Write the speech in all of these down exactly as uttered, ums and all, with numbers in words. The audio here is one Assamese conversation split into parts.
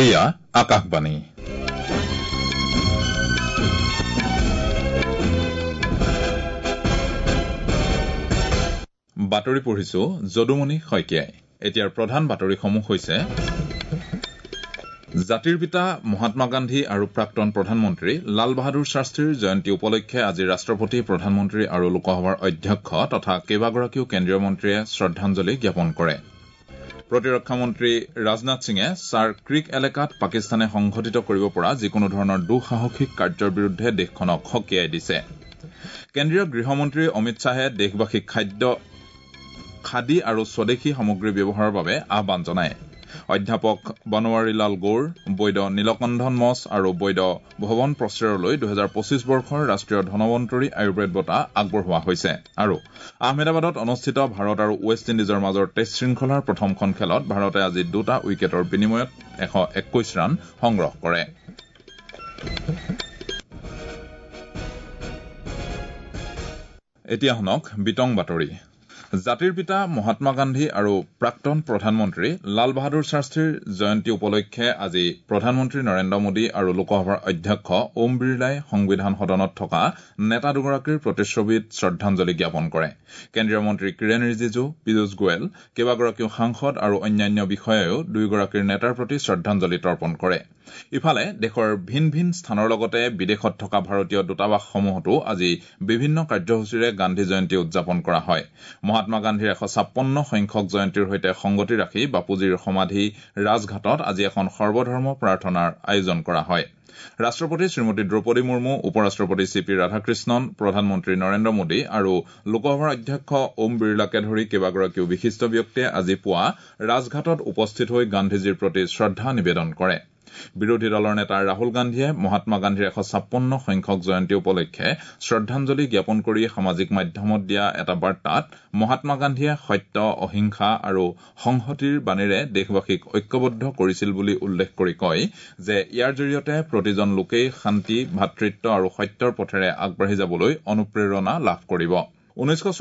এয়া আকাশবাণী। বাতৰি পঢ়িছো যদুমণি শইকীয়াই। এতিয়াৰ প্ৰধান বাতৰিসমূহ হৈছে জাতিৰ পিতা মহাত্মা গান্ধী আৰু প্ৰাক্তন প্ৰধানমন্ত্ৰী লাল বাহাদুৰ শাস্ত্ৰীৰ জয়ন্তী উপলক্ষে আজি ৰাষ্ট্ৰপতি, প্ৰধানমন্ত্ৰী আৰু লোকসভাৰ অধ্যক্ষ তথা কেইবাগৰাকীও কেন্দ্ৰীয় মন্ত্ৰীয়ে শ্ৰদ্ধাঞ্জলি জ্ঞাপন কৰে। প্ৰতিৰক্ষা মন্ত্ৰী ৰাজনাথ সিঙে ছাৰ ক্ৰিক এলেকাত পাকিস্তানে সংঘটিত কৰিব পৰা যিকোনো ধৰণৰ দুঃসাহসিক কাৰ্যৰ বিৰুদ্ধে দেশখনক সকীয়াই দিছে। কেন্দ্ৰীয় গৃহমন্ত্ৰী অমিত শ্বাহে দেশবাসীক খাদ্য খাদী আৰু স্বদেশী সামগ্ৰী ব্যৱহাৰৰ বাবে আহ্বান জনায়। অধ্যাপক বনৱাৰীলাল গৌৰ, বৈদ্য নীলকন্ধন মছ আৰু বৈদ্য ভৱন প্ৰচেৰলৈ দুহেজাৰ পঁচিছ বৰ্ষৰ ৰাষ্ট্ৰীয় ধনৱন্তৰী আয়ুৰ্বেদ বঁটা আগবঢ়োৱা হৈছে। আৰু আহমেদাবাদত অনুষ্ঠিত ভাৰত আৰু ৱেষ্ট ইণ্ডিজৰ মাজৰ টেষ্ট শৃংখলাৰ প্ৰথমখন খেলত ভাৰতে আজি দুটা উইকেটৰ বিনিময়ত এশ একৈশ ৰান সংগ্ৰহ কৰে। এতিয়া শুনক বিতং বাতৰি। জাতিৰ পিতা মহাত্মা গান্ধী আৰু প্ৰাক্তন প্ৰধানমন্ত্ৰী লাল বাহাদুৰ শাস্ত্ৰীৰ জয়ন্তী উপলক্ষে আজি প্ৰধানমন্ত্ৰী নৰেন্দ্ৰ মোদী আৰু লোকসভাৰ অধ্যক্ষ ওম বিৰলাই সংবিধান সদনত থকা নেতা দুগৰাকীৰ প্ৰতিচ্ছবিত শ্ৰদ্ধাঞ্জলি জ্ঞাপন কৰে। কেন্দ্ৰীয় মন্ত্ৰী কিৰেণ ৰিজিজু, পীয়ুষ গোৱেল, কেইবাগৰাকীও সাংসদ আৰু অন্যান্য বিষয়ায়ো দুয়োগৰাকীৰ নেতাৰ প্ৰতি শ্ৰদ্ধাঞ্জলি তৰ্পণ কৰে। ইফালে দেশৰ ভিন ভিন স্থানৰ লগতে বিদেশত থকা ভাৰতীয় দূতাবাসসমূহতো আজি বিভিন্ন কাৰ্যসূচীৰে গান্ধী জয়ন্তী উদযাপন কৰা হয়। মহাত্মা গান্ধীৰ এশ ছাপন্ন সংখ্যক জয়ন্তীৰ সৈতে সংগতি ৰাখি বাপুজীৰ সমাধি ৰাজঘাটত আজি এখন সৰ্বধৰ্ম প্ৰাৰ্থনাৰ আয়োজন কৰা হয়। ৰাষ্ট্ৰপতি শ্ৰীমতী দ্ৰৌপদী মুৰ্মু, উপ ৰাষ্ট্ৰপতি চি পি ৰাধাকৃষ্ণন, প্ৰধানমন্ত্ৰী নৰেন্দ্ৰ মোদী আৰু লোকসভাৰ অধ্যক্ষ ওম বিৰলাকে ধৰি কেইবাগৰাকীও বিশিষ্ট ব্যক্তিয়ে আজি পুৱা ৰাজঘাটত উপস্থিত হৈ গান্ধীজীৰ প্ৰতি শ্ৰদ্ধা নিবেদন কৰে। বিৰোধী দলৰ নেতা ৰাহুল গান্ধীয়ে মহাত্মা গান্ধীৰ এশ ছাপন্ন সংখ্যক জয়ন্তী উপলক্ষে শ্ৰদ্ধাঞ্জলি জ্ঞাপন কৰি সামাজিক মাধ্যমত দিয়া এটা বাৰ্তাত মহাত্মা গান্ধীয়ে সত্য, অহিংসা আৰু সংহতিৰ বাণীৰে দেশবাসীক ঐক্যবদ্ধ কৰিছিল বুলি উল্লেখ কৰি কয় যে ইয়াৰ জৰিয়তে প্ৰতিজন লোকেই শান্তি, ভাতৃত্ব আৰু সত্যৰ পথেৰে আগবাঢ়ি যাবলৈ অনুপ্ৰেৰণা লাভ কৰিব। ঊনৈছশ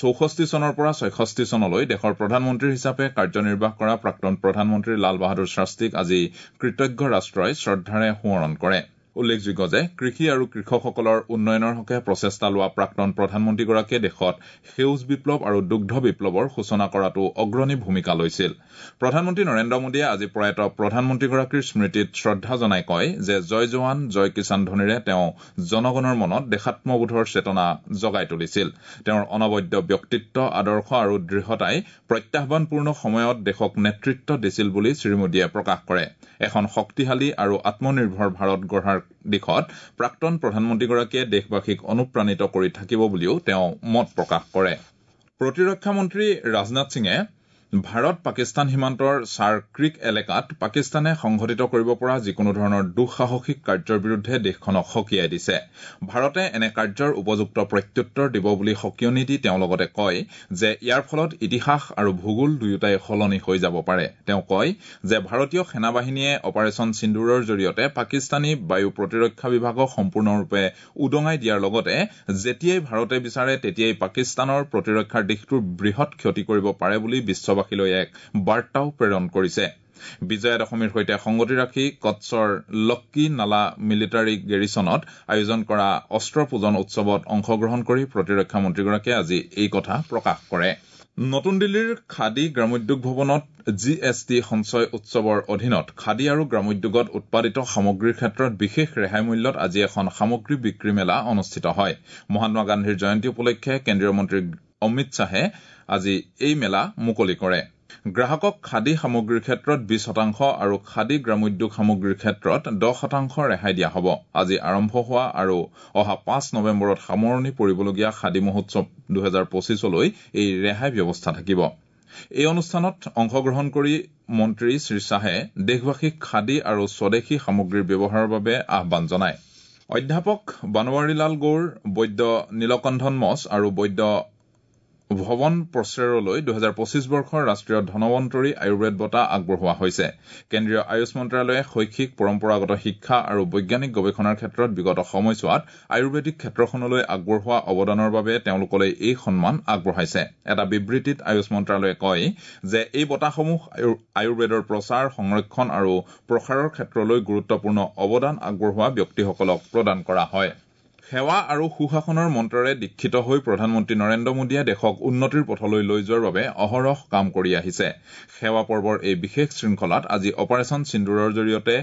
চৌষষ্ঠি চনৰ পৰা ছয়ষষ্ঠি চনলৈ দেশৰ প্ৰধানমন্ত্ৰী হিচাপে কাৰ্যনিৰ্বাহ কৰা প্ৰাক্তন প্ৰধানমন্ত্ৰী লাল বাহাদুৰ শাস্ত্ৰীক আজি কৃতজ্ঞ ৰাষ্ট্ৰই শ্ৰদ্ধাৰে সোঁৱৰণ কৰে। উল্লেখযোগ্য যে কৃষি আৰু কৃষকসকলৰ উন্নয়নৰ হকে প্ৰচেষ্টা লোৱা প্ৰাক্তন প্ৰধানমন্ত্ৰীগৰাকীয়ে দেশত সেউজ বিপ্লৱ আৰু দুগ্ধ বিপ্লৱৰ সূচনা কৰাতো অগ্ৰণী ভূমিকা লৈছিল। প্ৰধানমন্ত্ৰী নৰেন্দ্ৰ মোদীয়ে আজি প্ৰয়াত প্ৰধানমন্ত্ৰীগৰাকীৰ স্মৃতিত শ্ৰদ্ধা জনাই কয় যে জয় জোৱান জয় কিষাণ ধ্বনিৰে তেওঁ জনগণৰ মনত দেশাত্মবোধৰ চেতনা জগাই তুলিছিল। তেওঁৰ অনবদ্য ব্যক্তিত্ব, আদৰ্শ আৰু দৃঢ়তাই প্ৰত্যাহ্বানপূৰ্ণ সময়ত দেশক নেতৃত্ব দিছিল বুলি শ্ৰীমোদীয়ে প্ৰকাশ কৰে। এখন শক্তিশালী আৰু আত্মনিৰ্ভৰ ভাৰত গঢ়াৰ দিশত প্ৰাক্তন প্ৰধানমন্ত্ৰীগৰাকীয়ে দেশবাসীক অনুপ্ৰাণিত কৰি থাকিব বুলিও তেওঁ মত প্ৰকাশ কৰে। প্ৰতিৰক্ষা মন্ত্ৰী ৰাজনাথ সিঙে ভাৰত পাকিস্তান সীমান্তৰ ছাৰ ক্ৰিক এলেকাত পাকিস্তানে সংঘটিত কৰিব পৰা যিকোনো ধৰণৰ দুঃসাহসিক কাৰ্যৰ বিৰুদ্ধে দেশখনক সকীয়াই দিছে। ভাৰতে এনে কাৰ্যৰ উপযুক্ত প্ৰত্যুত্তৰ দিব বুলি সকীয়নি দি তেওঁ লগতে কয় যে ইয়াৰ ফলত ইতিহাস আৰু ভূগোল দুয়োটাই সলনি হৈ যাব পাৰে। তেওঁ কয় যে ভাৰতীয় সেনাবাহিনীয়ে অপাৰেচন সিন্দুৰৰ জৰিয়তে পাকিস্তানী বায়ু প্ৰতিৰক্ষা বিভাগক সম্পূৰ্ণৰূপে উদঙাই দিয়াৰ লগতে যেতিয়াই ভাৰতে বিচাৰে তেতিয়াই পাকিস্তানৰ প্ৰতিৰক্ষাৰ দিশটোৰ বৃহৎ ক্ষতি কৰিব পাৰে বুলি বিশ্ব বাসীলৈ এক বাৰ্তাও প্ৰেৰণ কৰিছে। বিজয়া দশমীৰ সৈতে সংগতি ৰাখি কচ্ছৰ লক্কি নালা মিলিটাৰী গেৰিছনত আয়োজন কৰা অস্ত্ৰ পূজন উৎসৱত অংশগ্ৰহণ কৰি প্ৰতিৰক্ষা মন্ত্ৰীগৰাকীয়ে আজি এই কথা প্ৰকাশ কৰে। নতুন দিল্লীৰ খাদী গ্ৰামোদ্যোগ ভৱনত জি এছ টি সঞ্চয় উৎসৱৰ অধীনত খাদী আৰু গ্ৰামোদ্যোগত উৎপাদিত সামগ্ৰীৰ ক্ষেত্ৰত বিশেষ ৰেহাই মূল্যত আজি এখন সামগ্ৰী বিক্ৰী মেলা অনুষ্ঠিত হয়। মহাত্মা গান্ধীৰ জয়ন্তী উপলক্ষে কেন্দ্ৰীয় মন্ত্ৰী অমিত শ্বাহে আজি এই মেলা মুকলি কৰে। গ্ৰাহকক খাদী সামগ্ৰীৰ ক্ষেত্ৰত বিশ শতাংশ আৰু খাদী গ্ৰামোদ্যোগ সামগ্ৰীৰ ক্ষেত্ৰত দহ শতাংশ ৰেহাই দিয়া হ'ব। আজি আৰম্ভ হোৱা আৰু অহা পাঁচ নৱেম্বৰত সামৰণি পৰিবলগীয়া খাদী মহোৎসৱ দুহেজাৰ পঁচিছলৈ এই ৰেহাই ব্যৱস্থা থাকিব। এই অনুষ্ঠানত অংশগ্ৰহণ কৰি মন্ত্ৰী শ্ৰীশ্বাহে দেশবাসীক খাদী আৰু স্বদেশী সামগ্ৰীৰ ব্যৱহাৰৰ বাবে আহ্বান জনায়। অধ্যাপক বনৱাৰীলাল গৌৰ, বৈদ্য নীলকন্ধন মছ আৰু বৈদ্য ভৱন প্ৰচেৰলৈ দুহেজাৰ পঁচিছ বৰ্ষৰ ৰাষ্ট্ৰীয় ধনৱন্তৰী আয়ুৰ্বেদ বঁটা আগবঢ়োৱা হৈছে। কেন্দ্ৰীয় আয়ুষ মন্ত্ৰালয়ে শৈক্ষিক, পৰম্পৰাগত শিক্ষা আৰু বৈজ্ঞানিক গৱেষণাৰ ক্ষেত্ৰত বিগত সময়ছোৱাত আয়ুৰ্বেদিক ক্ষেত্ৰখনলৈ আগবঢ়োৱা অৱদানৰ বাবে তেওঁলোকলৈ এই সন্মান আগবঢ়াইছে। এটা বিবৃতিত আয়ুষ মন্ত্ৰালয়ে কয় যে এই বঁটাসমূহ আয়ুৰ্বেদৰ প্ৰচাৰ, সংৰক্ষণ আৰু প্ৰসাৰৰ ক্ষেত্ৰলৈ গুৰুত্বপূৰ্ণ অৱদান আগবঢ়োৱা ব্যক্তিসকলক প্ৰদান কৰা হয়। সেৱা আৰু সুশাসনৰ মন্ত্ৰৰে দীক্ষিত হৈ প্ৰধানমন্ত্ৰী নৰেন্দ্ৰ মোদীয়ে দেশক উন্নতিৰ পথলৈ লৈ যোৱাৰ বাবে অহৰহ কাম কৰি আহিছে। সেৱা পৰ্বৰ এই বিশেষ শৃংখলাত আজি অপাৰেচন সিন্দুৰৰ জৰিয়তে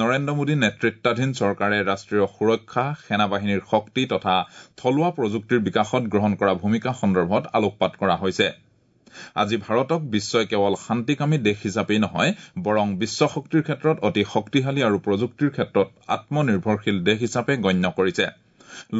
নৰেন্দ্ৰ মোদী নেতৃত্বাধীন চৰকাৰে ৰাষ্ট্ৰীয় সুৰক্ষা, সেনাবাহিনীৰ শক্তি তথা থলুৱা প্ৰযুক্তিৰ বিকাশত গ্ৰহণ কৰা ভূমিকা সন্দৰ্ভত আলোকপাত কৰা হৈছে। আজি ভাৰতক বিশ্বই কেৱল শান্তিকামী দেশ হিচাপেই নহয়, বৰং বিশ্ব শক্তিৰ ক্ষেত্ৰত অতি শক্তিশালী আৰু প্ৰযুক্তিৰ ক্ষেত্ৰত আত্মনিৰ্ভৰশীল দেশ হিচাপে গণ্য কৰিছে।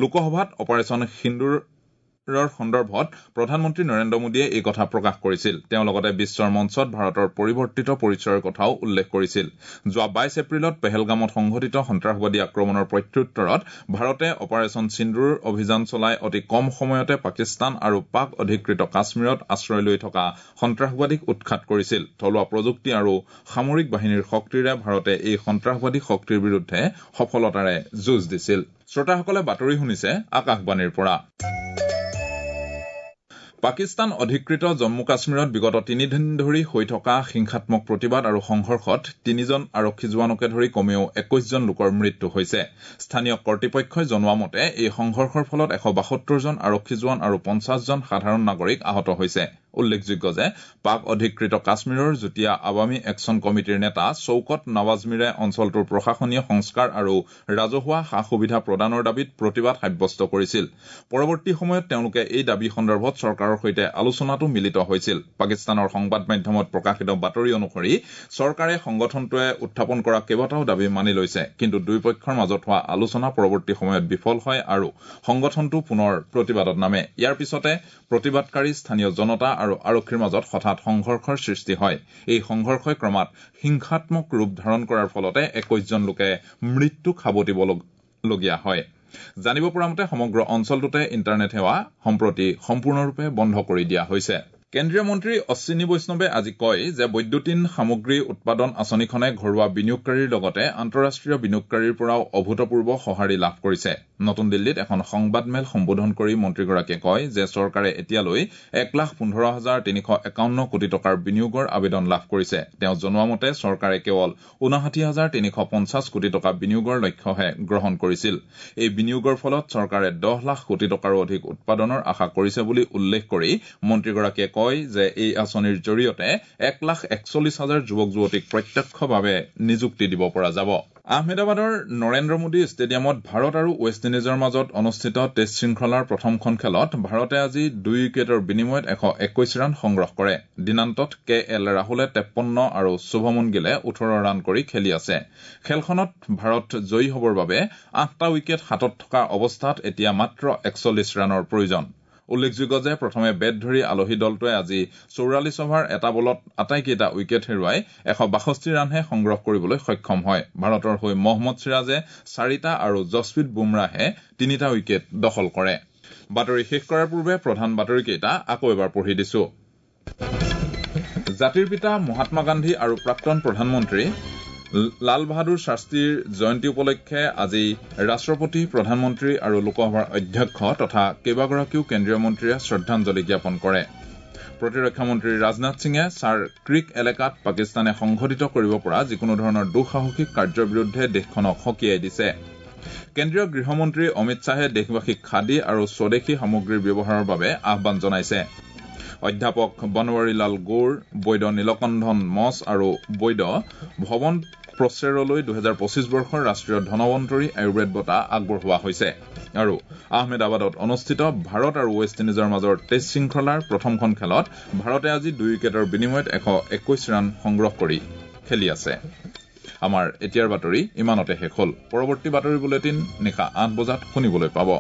লোকসভাত অপাৰেচন সিন্দুৰৰ সন্দৰ্ভত প্ৰধানমন্ত্ৰী নৰেন্দ্ৰ মোদীয়ে এই কথা প্ৰকাশ কৰিছিল। তেওঁ লগতে বিশ্বৰ মঞ্চত ভাৰতৰ পৰিৱৰ্তিত পৰিচয়ৰ কথাও উল্লেখ কৰিছিল। যোৱা বাইছ এপ্ৰিলত পেহেলগামত সংঘটিত সন্ত্ৰাসবাদী আক্ৰমণৰ প্ৰত্যুত্তৰত ভাৰতে অপাৰেচন সিন্দুৰ অভিযান চলাই অতি কম সময়তে পাকিস্তান আৰু পাক অধিকৃত কাশ্মীৰত আশ্ৰয় লৈ থকা সন্ত্ৰাসবাদীক উৎখাত কৰিছিল। থলুৱা প্ৰযুক্তি আৰু সামৰিক বাহিনীৰ শক্তিৰে ভাৰতে এই সন্ত্ৰাসবাদী শক্তিৰ বিৰুদ্ধে সফলতাৰে যুঁজ দিছিল। শ্ৰোতাসকলে বাতৰি শুনিছে আকাশবাণীৰ পৰা। পাকিস্তান অধিকৃত জম্মু কাশ্মীৰত বিগত তিনিদিন ধৰি হৈ থকা হিংসাত্মক প্ৰতিবাদ আৰু সংঘৰ্ষত তিনিজন আৰক্ষী জোৱানকে ধৰি কমেও একৈশজন লোকৰ মৃত্যু হৈছে। স্থানীয় কৰ্তৃপক্ষই জনোৱা মতে এই সংঘৰ্ষৰ ফলত এশ বাসত্তৰজন আৰক্ষী জোৱান আৰু পঞ্চাশজন সাধাৰণ নাগৰিক আহত হৈছে। উল্লেখযোগ্য যে পাক অধিকৃত কাশ্মীৰৰ যুটীয়া আৱামী একচন কমিটিৰ নেতা চৌকত নৱাজ মীৰে অঞ্চলটোৰ প্ৰশাসনীয় সংস্কাৰ আৰু ৰাজহুৱা সা সুবিধা প্ৰদানৰ দাবীত প্ৰতিবাদ সাব্যস্ত কৰিছিল। পৰৱৰ্তী সময়ত তেওঁলোকে এই দাবী সন্দৰ্ভত চৰকাৰৰ সৈতে আলোচনাতো মিলিত হৈছিল। পাকিস্তানৰ সংবাদ মাধ্যমত প্ৰকাশিত বাতৰি অনুসৰি চৰকাৰে সংগঠনটোৱে উত্থাপন কৰা কেইবাটাও দাবী মানি লৈছে, কিন্তু দুয়োপক্ষৰ মাজত হোৱা আলোচনা পৰৱৰ্তী সময়ত বিফল হয় আৰু সংগঠনটো পুনৰ প্ৰতিবাদত নামে। ইয়াৰ পিছতে প্ৰতিবাদকাৰী স্থানীয় জনতা আৰু আৰক্ষীৰ মাজত হঠাৎ সংঘৰ্ষৰ সৃষ্টি হয়। এই সংঘৰ্ষই ক্ৰমাৎ হিংসাত্মক ৰূপ ধাৰণ কৰাৰ ফলতে একৈশজন লোকে মৃত্যুক সাৱটিবলগীয়া হয়। জানিব পৰা মতে সমগ্ৰ অঞ্চলটোতে ইণ্টাৰনেট সেৱা সম্প্ৰতি সম্পূৰ্ণৰূপে বন্ধ কৰি দিয়া হৈছে। কেন্দ্ৰীয় মন্ত্ৰী অশ্বিনী বৈষ্ণৱে আজি কয় যে বৈদ্যুতিন সামগ্ৰী উৎপাদন আঁচনিখনে ঘৰুৱা বিনিয়োগকাৰীৰ লগতে আন্তঃৰাষ্ট্ৰীয় বিনিয়োগকাৰীৰ পৰাও অভূতপূৰ্ব সঁহাৰি লাভ কৰিছে। নতুন দিল্লীত এখন সংবাদমেল সম্বোধন কৰি মন্ত্ৰীগৰাকীয়ে কয় যে চৰকাৰে এতিয়ালৈ এক লাখ পোন্ধৰ হাজাৰ তিনিশ একাৱন্ন কোটি টকাৰ বিনিয়োগৰ আবেদন লাভ কৰিছে। তেওঁ জনোৱা মতে চৰকাৰে কেৱল ঊনষাঠি হাজাৰ তিনিশ পঞ্চাছ কোটি টকা বিনিয়োগৰ লক্ষ্যহে গ্ৰহণ কৰিছিল। এই বিনিয়োগৰ ফলত চৰকাৰে দহ লাখ কোটি টকাৰো অধিক উৎপাদনৰ আশা কৰিছে বুলি উল্লেখ কৰি মন্ত্ৰীগৰাকীয়ে কয় যে এই আঁচনিৰ জৰিয়তে এক লাখ একচল্লিছ হাজাৰ যুৱক যুৱতীক প্ৰত্যক্ষভাৱে নিযুক্তি দিব পৰা যাব। আহমেদাবাদৰ নৰেন্দ্ৰ মোদী ষ্টেডিয়ামত ভাৰত আৰু ৱেষ্ট ইণ্ডিজৰ মাজত অনুষ্ঠিত টেষ্ট শৃংখলাৰ প্ৰথমখন খেলত ভাৰতে আজি দুই উইকেটৰ বিনিময়ত এশ একৈশ ৰান সংগ্ৰহ কৰে। দিনান্তত কে এল ৰাহুলে তেপন্ন আৰু শুভমন গিলে ওঠৰ ৰান কৰি খেলি আছে। খেলখনত ভাৰত জয়ী হবৰ বাবে আঠটা উইকেট হাতত থকা অৱস্থাত এতিয়া মাত্ৰ একচল্লিছ ৰানৰ প্ৰয়োজন। উল্লেখযোগ্য যে প্ৰথমে বেট ধৰি আলহী দলটোৱে আজি চৌৰাল্লিছ অভাৰ এটা বলত আটাইকেইটা উইকেট হেৰুৱাই এশ বাষষ্ঠি ৰানহে সংগ্ৰহ কৰিবলৈ সক্ষম হয়। ভাৰতৰ হৈ মহম্মদ চিৰাজে চাৰিটা আৰু জছপ্ৰীত বুমৰাহে তিনিটা উইকেট দখল কৰে। বাতৰি শেষ কৰাৰ পূৰ্বে প্ৰধান বাতৰিকেইটা আকৌ এবাৰ পঢ়ি দিছো। জাতিৰ পিতা মহাত্মা গান্ধী আৰু প্ৰাক্তন প্ৰধানমন্ত্ৰী লাল বাহাদুৰ শাস্ত্ৰীৰ জয়ন্তী উপলক্ষে আজি ৰাষ্ট্ৰপতি, প্ৰধানমন্ত্ৰী আৰু লোকসভাৰ অধ্যক্ষ তথা কেইবাগৰাকীও কেন্দ্ৰীয় মন্ত্ৰীয়ে শ্ৰদ্ধাঞ্জলি জ্ঞাপন কৰে। প্ৰতিৰক্ষা মন্ত্ৰী ৰাজনাথ সিঙে ছাৰ ক্ৰিক এলেকাত পাকিস্তানে সংঘটিত কৰিব পৰা যিকোনো ধৰণৰ দুঃসাহসিক কাৰ্যৰ বিৰুদ্ধে দেশখনক সকীয়াই দিছে। কেন্দ্ৰীয় গৃহমন্ত্ৰী অমিত শ্বাহে দেশবাসীক খাদী আৰু স্বদেশী সামগ্ৰীৰ ব্যৱহাৰৰ বাবে আহ্বান জনাইছে। অধ্যাপক বনৱাৰীলাল গৌৰ, বৈদ্য নীলকণ্ঠন মছ আৰু বৈদ্য ভৱন প্ৰচেৰলৈ দুহেজাৰ পঁচিছ বৰ্ষৰ ৰাষ্ট্ৰীয় ধনৱন্তৰী আয়ুৰ্বেদ বঁটা আগবঢ়োৱা হৈছে। আৰু আহমেদাবাদত অনুষ্ঠিত ভাৰত আৰু ৱেষ্ট ইণ্ডিজৰ মাজৰ টেষ্ট শৃংখলাৰ প্ৰথমখন খেলত ভাৰতে আজি দুই উইকেটৰ বিনিময়ত এশ একৈশ ৰান সংগ্ৰহ কৰি খেলি আছে। আমাৰ এতিয়াৰ বাতৰি ইমানতে শেষ হল। পৰৱৰ্তী বাতৰি বুলেটিন নিশা আঠ বজাত শুনিবলৈ পাব।